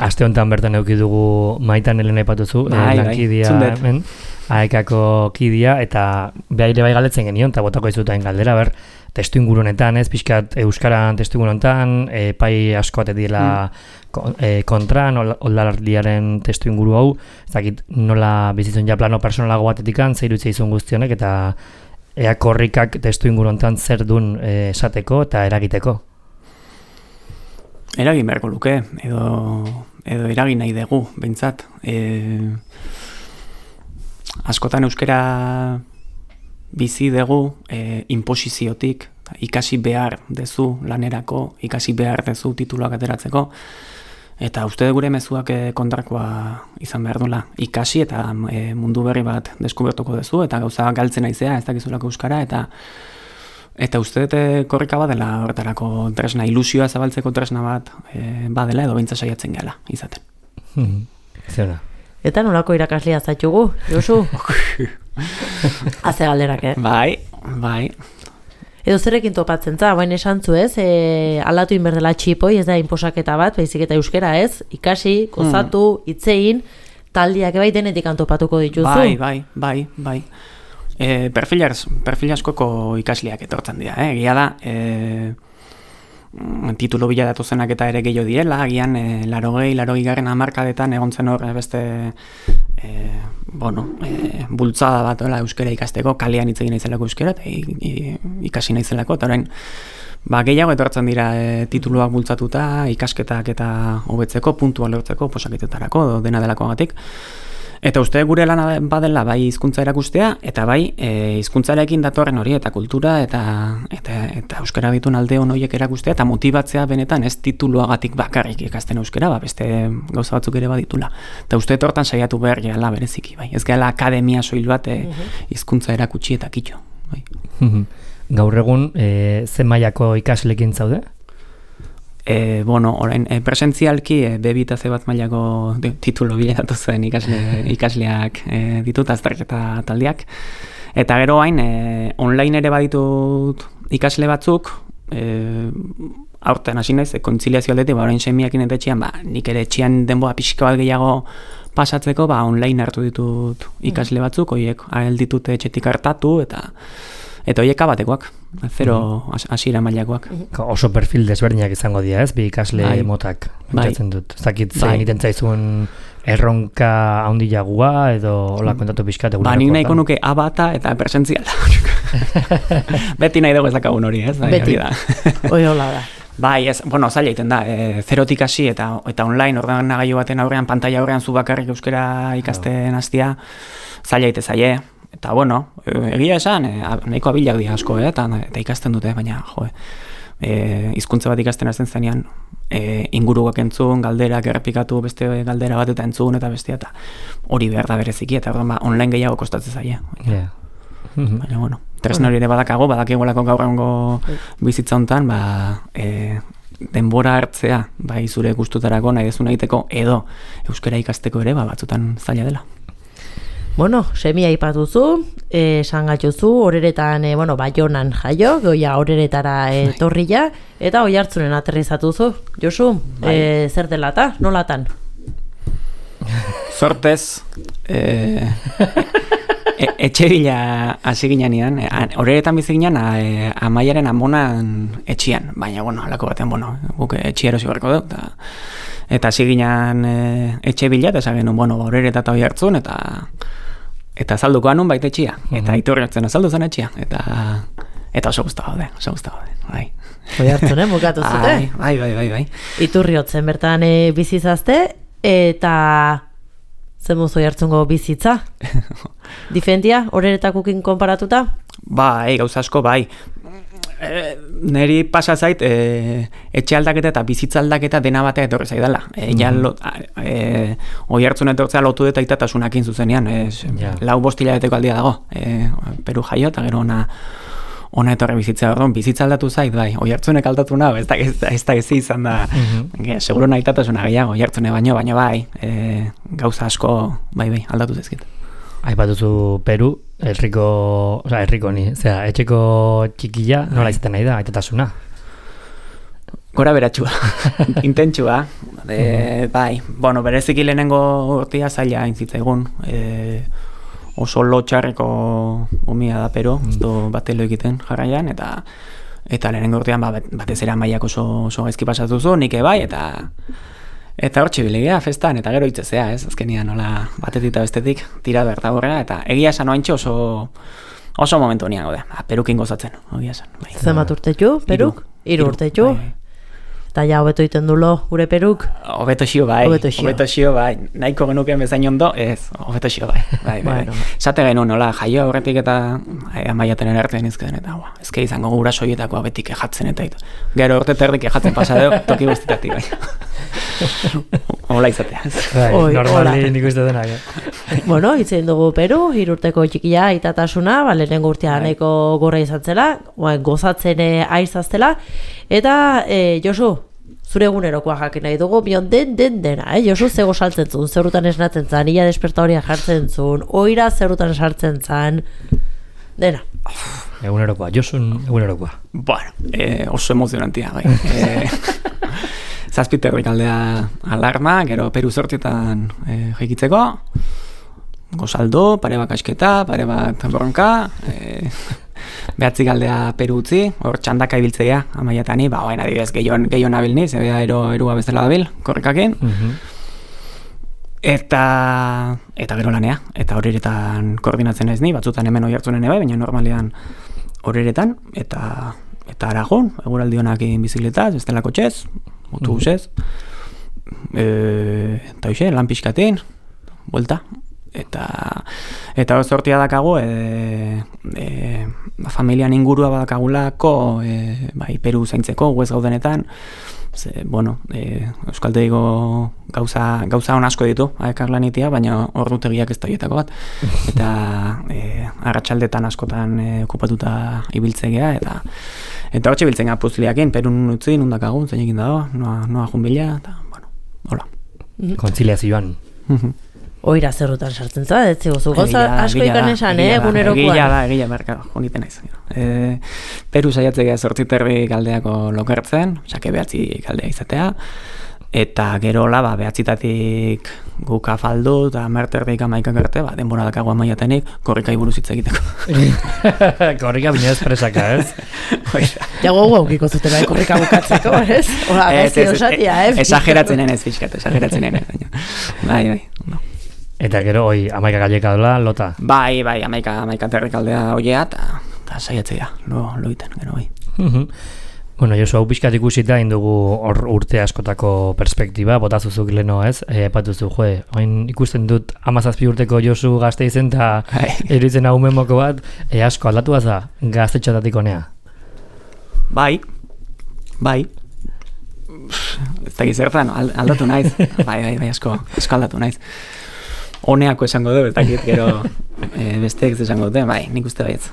Aste honetan bertan eduki dugu Maitan Elena aipatuzu, lankidia hemen, aekako kidia, eta behaire bai galdetzen genion, eta botako izutain galdera, testu ingurunetan, pixkat euskaran testu ingurunetan, pai asko atetiela kontran, oldalardiaren testu inguru hau, ezakit nola bizitzen ja plano personalago batetikan, zeirutzea izun guztionek, eta ea korrikak testu ingurunetan zer duen esateko eta eragiteko. Eragin beharko luke, edo eragin nahi dugu, behintzat. Askotan euskara bizi dugu inposiziotik, ikasi behar dezu lanerako, ikasi behar dezu tituluak ateratzeko, eta uste gure mezuak kontrakoa izan behar duela. Ikasi eta mundu berri bat deskubertuko dezu, eta gauza galtzen aizea, ez dakizulako euskara, eta uste dute korrika badela horretarako tresna, ilusioa zabaltzeko tresna bat badela, edo beintza saiatzen gala izaten. Zena. Eta nolako irakaslea zaitugu, Josu? Haze galderak, Bai. Edo zerekin topatzen za, baina esan zu ez, aldatu inberdela txipoi, ez da inposaketa bat, baizik eta euskera ez, ikasi, gozatu, itzein, taldiak bai denetik antopatuko dituzu. Bai. Perfil askoko ikasleak etortzen dira, egia da, titulu bila datozenak eta ere gehiago direla, agian 80-garren hamarkadetan egon zen hor beste bultzada bat euskara ikasteko, kalean hitz egin naizelako euskara eta ikasi naizelako, eta orain gehiago etortzen dira tituluak bultzatuta, ikasketak eta hobetzeko, puntua lortzeko, posaketetarako, dena delakoagatik. Eta uste gure lana badela bai hizkuntza erakustea, eta bai hizkuntzarekin datorren hori, eta kultura, eta euskara ditun alde horiek erakustea, eta motibatzea benetan ez tituluagatik bakarrik ikasten euskara, beste gauza batzuk ere baditula. Eta uste hortan saiatu behar gehala bereziki, bai. Ez gehala akademia soil bat hizkuntza erakutsi eta kitxo. Bai. Gaur egun, ze mailako ikaslekin zaude? Orain, presentzialki B2 eta C1 mailako titulo biletatu zen ikasleak ditut, azterketa taldeak. Eta gero hain, online ere baditut ikasle batzuk, aurten hasi naiz, kontziliazio aldetik, orain semiakin eta etxean, nik ere etxean denboa pixka bat gehiago pasatzeko, online hartu ditut ikasle batzuk, horiek ditut etxetik hartatu, eta horiek abatekoak, zero hasiera mailakoak. Oso perfil desberdinak izango dira, ez? Bi ikasle motak, pentsatzen dut. Zakit zein egiten zaizun erronka handiagua edo hola kontatu pixkat egunerako. Nik nahiko nuke abata eta presentziala. Beti nahi dugu ezakagun hori, ez? Beti, hori hola da. Ez, zaila egiten da, zerotik hasi eta online ordenagailu baten aurrean, pantaila aurrean zu bakarrik euskara ikasten hastia, zaila egite zaie. Eta egia esan, nahiko abilak dira asko, eta ikasten dute, baina, hizkuntza bat ikasten hasten zenean, inguruak entzun, galderak errepikatu, beste galdera bat eta entzun, eta bestia, eta hori behar da bereziki, eta online gehiago kostatzen zaie. Baina, tresna hori ere badakigolako gaur egungo bizitza hontan, denbora hartzea, zure gustutarako nahi dezuna egiteko, edo euskara ikasteko ere, batzutan zaila dela. Semia aipatuzu, esan gatuzu, horeretan, Baionan jaio, goia horeretara etorria, eta Oiartzunen aterrizatuzu. Josu, zer delata, nolatan? Sortez, etxe bila hasi ginean, horeretan bizi ginen, Amaiaren amonan etxian, baina, halako batean, guk etxia erosi barko dut, eta hasi ginen etxe bila, eta esan genuen, horereta eta Oiartzun, eta azalduko anun baita etxia, eta iturri hartzen azaldu zen etxia, eta oso guztu gaude, bai. Oiartzunen bukatu zute? Bai. Iturri hotzen bertan bizizazte, eta zemuz Oiartzungo bizitza? Difentia, horeretakukin konparatuta? Gauza asko, neri pasa zait etxe aldaketa eta bizitza aldaketa dena batea etorri zaidala. Oiartzun etortzea lotu dut aitatasunakin zuzenean. 4-5 hilabeteko aldia dago. Peru jaio eta gero ona etorri bizitza. Bizitza aldatu zait, Oiartzunek aldatu nahi, ez da ezi izan da. Seguro nahi aitatasuna gehiago, Oiartzune baino, baina gauza asko aldatu zaizkit. Aipatuzu Peru, etxeko txikila, nola izaten nahi da, aitatasuna? Gora beratxua, intentsua. Bereziki lehenengo urtea zaila intzitzaigun. Oso lotxarreko umia da Peru, batelo egiten jarraian, eta lehenengo urtean batez ere Amaiak oso gaizki pasatuzu, nik eta hor txibilegea festan, eta gero hitzezea, ez? Azkenian, nola, batetik eta bestetik, tira berta horrela, eta egia esan oaintxe oso momentu nian gaude. Perukin gozatzen, egia esan. Zemat urtetxu, Peruk? 3 urtetxu? Eta ja, hobeto iten dulo, gure Peruk? Hobeto xio, bai. Nahiko genuken bezain ondo, ez, hobeto xio, bai. Zate genuen, nola, jaio aurretik eta Amaiaten erartean izkeden, eta ezke izango gura soietako abetik ejatzen, eta gero urte terdik ejatzen pasadeo, toki guztitatik, bai. Hola izatea. Normali nik uste denak. Itzein dugu Peru, 3 urteko txikia aitatasuna, lehenengo urtea nahiko gorra izan zela, gozatzen aizaztela, eta Josu, zure egunerokoa jakin nahi dugu, bion dena, Josu, zego saltzen zuen, zerrutan esnatzen zan, ia despertauria jartzen zuen, oira zerrutan sartzen zan, dena. Egunerokoa, Josun egunerokoa. Oso emozionantia, bai. Zazpiterrik aldea alarma, gero Peru zortietan jaikitzeko, gozaldo, pare bat kasketa, pare bat bronka, behatzi galdea Peru utzi, hor txandaka ibiltzea, amaiatani, baina adibidez gehiago nabil niz, erua bezala dabil, korrikakin. Eta gero lanea, eta horretan koordinatzen ez ni, batzutan hemen hori hartzunen ebe, baina normalean horretan, eta aragon, eguraldi honak bizikletaz, bestela kotxez, autobusez, eta hoxe, lan pixkatin, buelta, eta hor sortia dakagu, familian ingurua badakagulako, Peru zaintzeko, guez gaudenetan, Euskaltegiko gauza on asko ditu, ekarlanitia, baina ordutegiak ez da hietako bat. Eta arratsaldetan askotan okupatuta ibiltzegea, eta hortxe biltzen gara puzliakin, Perun utzi, nundakagun, zeinekin dago, noa junbila, eta, hola. Kontziliazioan. Oira zerrutan sartzen za, ez ziguzu. Gauza asko ikan esan, egunerokoan. Egia berka, honiten naiz. Peru saiatzea 8:30 galdeako lokartzen, sake 9 galdea izatea, eta gerola, 9-tatik guk afaldu, eta 10:30 11 arte, denbora dakago amaiatenik, korrikai buruz hitz egiteko. Korrika bine espresaka, ez? Jago gaukiko zutela, korrika bukatzeko, ez? Hora, gaizki osatia, Esageratzen ez, fiskat, esageratzen ez. Bai, no. Eta gero, 11 galeka dola, lota? Bai, 11 terrik aldea oiea, eta saiatzea, lo iten, gero, bai. Bueno, Josu, hau pixkat ikusita indugu urte askotako perspektiba, botazuzuk leno, ez? Epatuzu, oin ikusten dut 17 urteko Josu gazte izen, eta eritzen hau memoko bat, asko aldatu baza gaztetxotatik honea? Bai. Ez da gizertan, aldatu naiz. Bai, asko aldatu naiz. Honeako esango du, ez dakit, gero besteek esango dute, bai, nik uste baietz,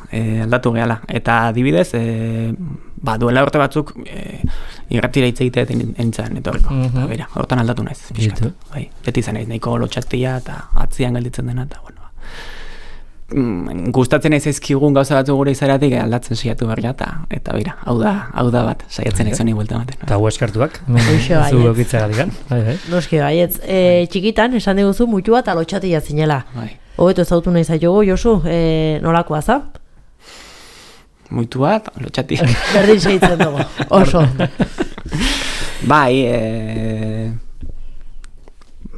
aldatu gehala. Eta adibidez, duela urte batzuk irratira hitz egitea entzan etorriko. Bera, hortan aldatu naiz, pixkat. Bai, beti zen naiz, nahiko lotxatia eta atzian gelditzen dena, eta bueno. Gustatzen naiz ezkigun gauza batzu gure izaratik aldatzen saiatu berria, eta bera, hau da bat, saiatzen naiz honi buelta ematen. Eta hu eskartuak, zu eukitzegatik. Noski baietz, txikitan esan diguzu mutua eta lotxatia zinela. Hobeto ezautu nahi zaitugu, Josu, nolakoa za? Muitu bat, lotxatia. Berdin segitzen dugu, oso.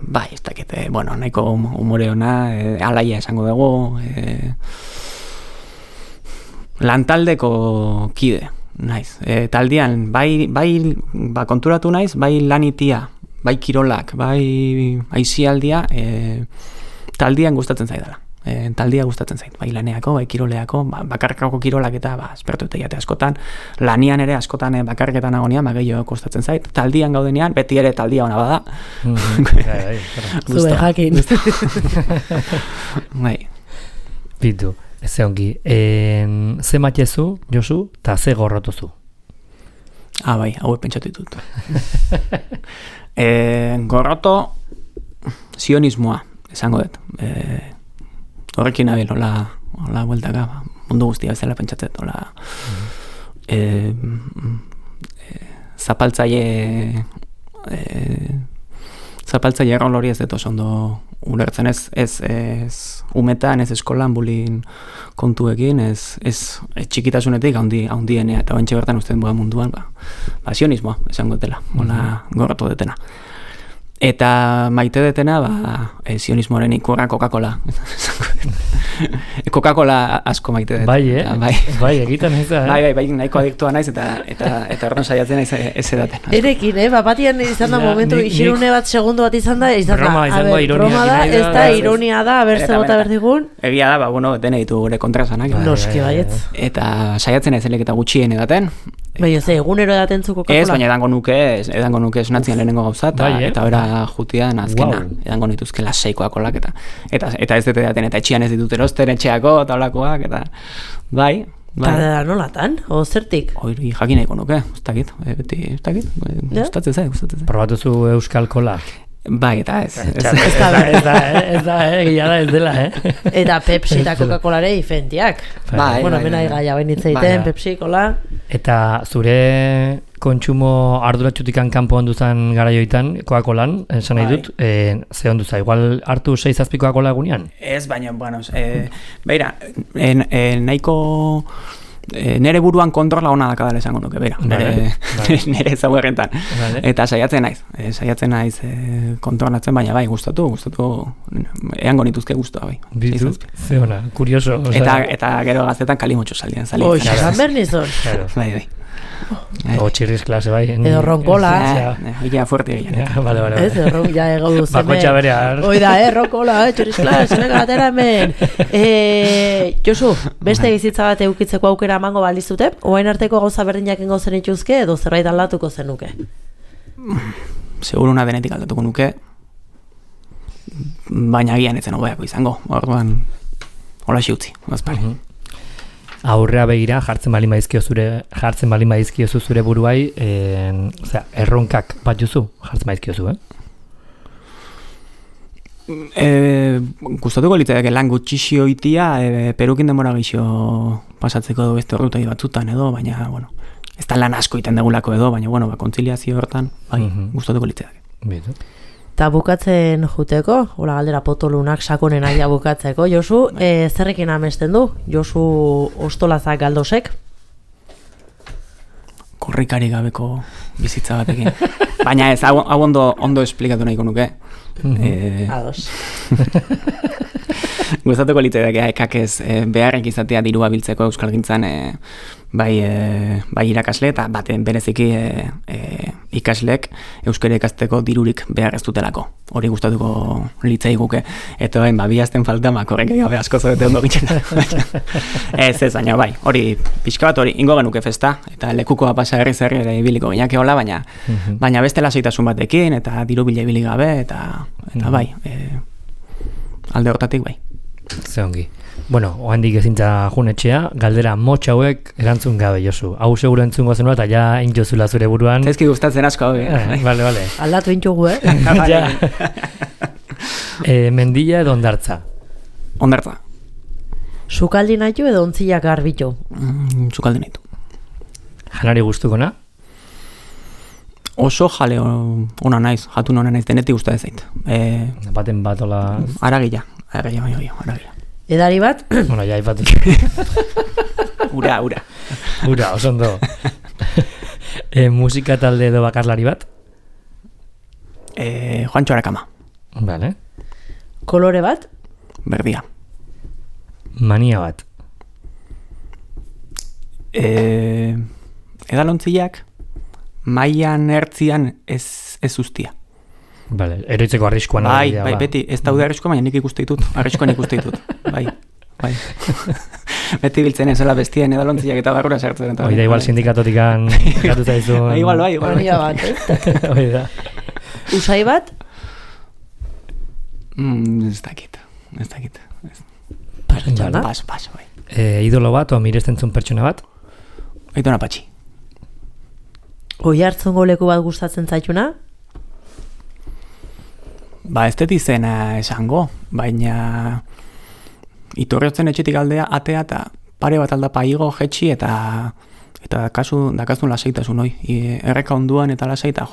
Bai, ez dakit, nahiko humore ona, alaia esango dugu, lantaldeko kide, naiz. Taldean, bai konturatu naiz, bai lanitia, bai kirolak, bai aizialdia, taldean gustatzen zaidala. Taldia gustatzen zait, bai laneako, bai kiroleako, bakarkako kirolak eta espertu eta jate askotan, lanian ere askotan bakarketan agonian, gehiago kostatzen zait, taldian gaudenean, beti ere taldia ona bada. Zube jakin. Bai. Bitu, ez ongi, ze matezu, Josu, eta ze gorrotuzu? Bai, hauek pentsatu ditut. Gorroto, sionismoa, esango dut. Horrekin nabil, hola bueltaka, mundu guztia bezala pentsatzen, hola zapaltzaile errol hori ez dut oso ondo ulertzen, ez umetan, ez eskolan, bulin kontuekin, ez txikitasunetik haundienea, eta bentsa bertan uste munduan, sionismoa, esango dutela, hola gorratu detena. Eta maite detena, sionismoaren ikurra Coca-Cola. Coca-Cola asko maite detena. Bai, egiten ez da. Bai, nahiko adiktua naiz, eta erron saiatzen ez edaten. Erekin, batian izan da momentu, isirune bat, segundu bat izan da, broma da, ez da, ironia da, berze bota berdigun. Egia da, dene ditu gure kontrasanak. Noski baietz. Eta saiatzen ez eta gutxien edaten. Bai, egunero edaten zu Coca-Cola? Ez, baina edango nuke esunatzian lehenengo gauza, eta bera jutian azkena, edango nituzke laseikoak olak, eta ez dut edaten, eta etxian ez ditut erosten, etxeako, eta olakoak, eta bai. Eta nolatan, o zertik? Hori jakin nahiko nuke, ez dakit, gustatzen zait. Probatuzu Euskal Kola? Bai, eta ez. Ez da, gila da ez dela, Eta Pepsi eta Coca-Colare diferentiak. Bai. Bueno, mena igaia bainitzeiten, Pepsi, Cola. Eta zure kontsumo arduratxutikan kanpo onduzan garaioitan, Coca-Colan, esan nahi dut, ze onduza, igual hartu 6-7 Coca-Cola egunean? Ez, baina, beira, nahiko nere buruan kontrola ona dakadala esango nuke, bera, nere ezaugarretan. Eta saiatzen naiz kontrolatzen, baina bai, gustatu, eango nituzke gustua, bai. Bizu, ze ona, kurioso. Eta gero gaztetan kalimotxo saldian. Xasan bernizon. Bai. O txirriz klase, bai. Edo ronkola. Ia fuerte egin. Vale. Ez, ja ego duzen. Bakotxa berear. Oida, ronkola, txirriz klase, venga, atera hemen. Josu, beste bizitza bat eukitzeko aukera emango balizute, oain arteko gauza berdinak ingo zen ituzke, edo zerbait aldatuko zenuke? Seguruna denetik aldatuko nuke, baina gian etzen hobeako izango. Orduan, hola utzi, gazpare. Aurrea begira jartzen bali maizkiozu zure buruai, erronkak bat juzu jartzen maizkiozu, Gustatuko litzaiake lan gutxixio itia, perukin denbora gixo pasatzeko beste ordutai batzutan edo, baina, bueno, ez da lan asko iten degulako edo, baina, bueno, kontziliazio hortan, bai, gustatuko litzaiake. Bitu. Eta bukatzen juteko, hola galdera potolunak sakonen aia bukatzeko, Josu, zerrekin amesten du? Josu Ostolazak Galdosek? Korrikari gabeko bizitza batekin. Baina ez, hau ondo esplikatu nahiko nuke. Ados. Gustatuko litzaiake ekak ez beharrek izatea dirua biltzeko euskalgintzan bai irakasle eta baten bereziki ikaslek euskara ikasteko dirurik behar ez dutelako. Hori gustatuko litzaiguke. Eta bain, bi azten falta, korrek gabe asko zoete ondo gitzen. Ez, baina bai, hori pixka bat hori ingo genuke festa, eta lekukoa pasa herri ere ibiliko ginake hola, baina beste lasaitasun batekin, eta diru bila ibili gabe, eta bai, alde hortatik bai. Ze ongi. Bueno, ohandik ezintza junetxea, galdera motx hauek erantzun gabe, Josu. Hau seguro entzungo zenua eta ja intzozula zure buruan. Ezki gustatzen asko hau, Vale. Aldatu intxugu, Ja. Mendilla edo ondartza? Ondartza. Sukaldi nahitu edo ontzilak garbitu? Sukaldi nahitu. Janari guztukona? Oso jale ona naiz, jatun ona naiz, denetik gusta ez zait. Baten bat ola... Aragila. Edari bat? Bueno, ja, ipatu. Ura. Ura, oso ondo. Musika talde edo bakarlari bat? Juancho Arakama. Vale. Kolore bat? Berdia. Mania bat? Edalontziak mailan ertzian ez ustia. Vale, eroitzeko arriskuan. Bai, beti, ez daude arriskoa, baina nik ikuste ditut. Arriskoan ikuste ditut. Bai. Beti biltzen ezela bestien edalontziak eta barrura sartzen. Oida, igual sindikatotikan gatuta izun. Igual. Mania bat, Oida. Usai bat? Ez dakit. Paso, bai. Idolo bat, o mirestentzun pertsona bat? Aitona Patxi. Oi hartzungo leku bat gustatzen zaituna? Ez dut izena esango, baina iturriotzen etxetik aldea atea eta pare bat aldapa igo jetxi eta dakazun lasaitasun hoi. Erreka onduan eta lasaita,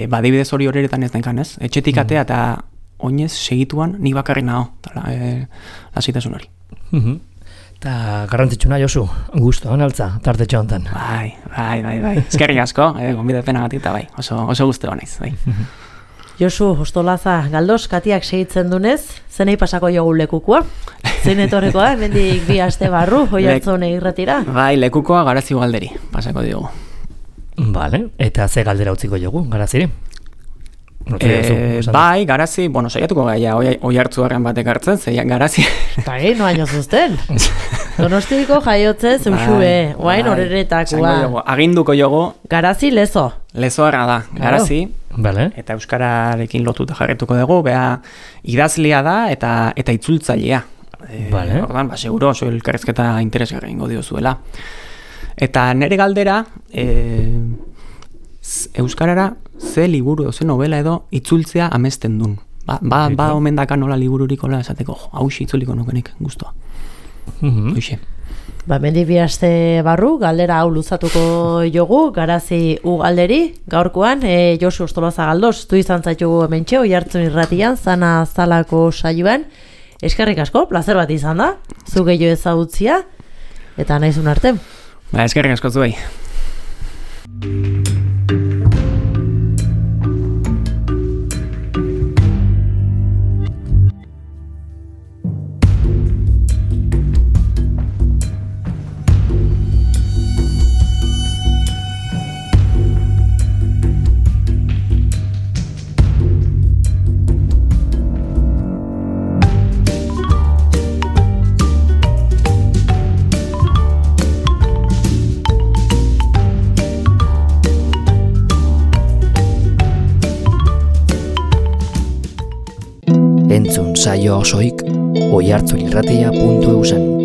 badibidez hori horretan ez denkan, ez? Etxetik atea eta oinez segituan nik bakarri naho, lasaitasun hori. Eta garrantzitsuna, Josu, gusto, analtza, tartetxo hontan. Bai. Eskerrik asko, gonbidapenagatik eta bai, oso guztu naiz, bai. Josu Ostolaza Galdos, Katiak segitzen dunez, zenei pasako jogu lekukua? Zein etorrekoa, hemendik 2 aste barru, Oiartzun irratira? Bai, lekukoa Garazi galderi pasako diogu. Vale, eta ze galdera utziko jogu, Garaziri? Bai, Garazi, saiatuko gaia Oiartzuarren batek hartzen, zeian Garazi. Bai, noaino zuzten. Donostiriko jaiotzez, usue, oain horretakoa. Aginduko jogu. Garazi lezo. Lezoarra da, Garazi. Vale. Eta euskararekin lotuta jarretuko dugu, idazlea da eta itzultzailea. Vale. Ordan, seguro oso elkarrezketa interesgarri ingo diozuela. Eta nere galdera, euskarara ze liburu, ze novela edo itzultzea amesten dun. Ba omen daka nola libururik hola esateko, hausi itzuliko nukenik guztua. Hoxe. Mendi 2 aste barru, galdera hau luzatuko jogu, Garazi galderi, gaurkoan, Josu Ostolaza Galdos, du izan zaitugu hementxe, Oiartzun irratian, zana zalako saioan. Eskerrik asko, plazer bat izan da, zu gehiago ezagutzia, eta naizun arte. Eskerrik asko zuei. Entzun saio osoik oihartzunirratia.eusen.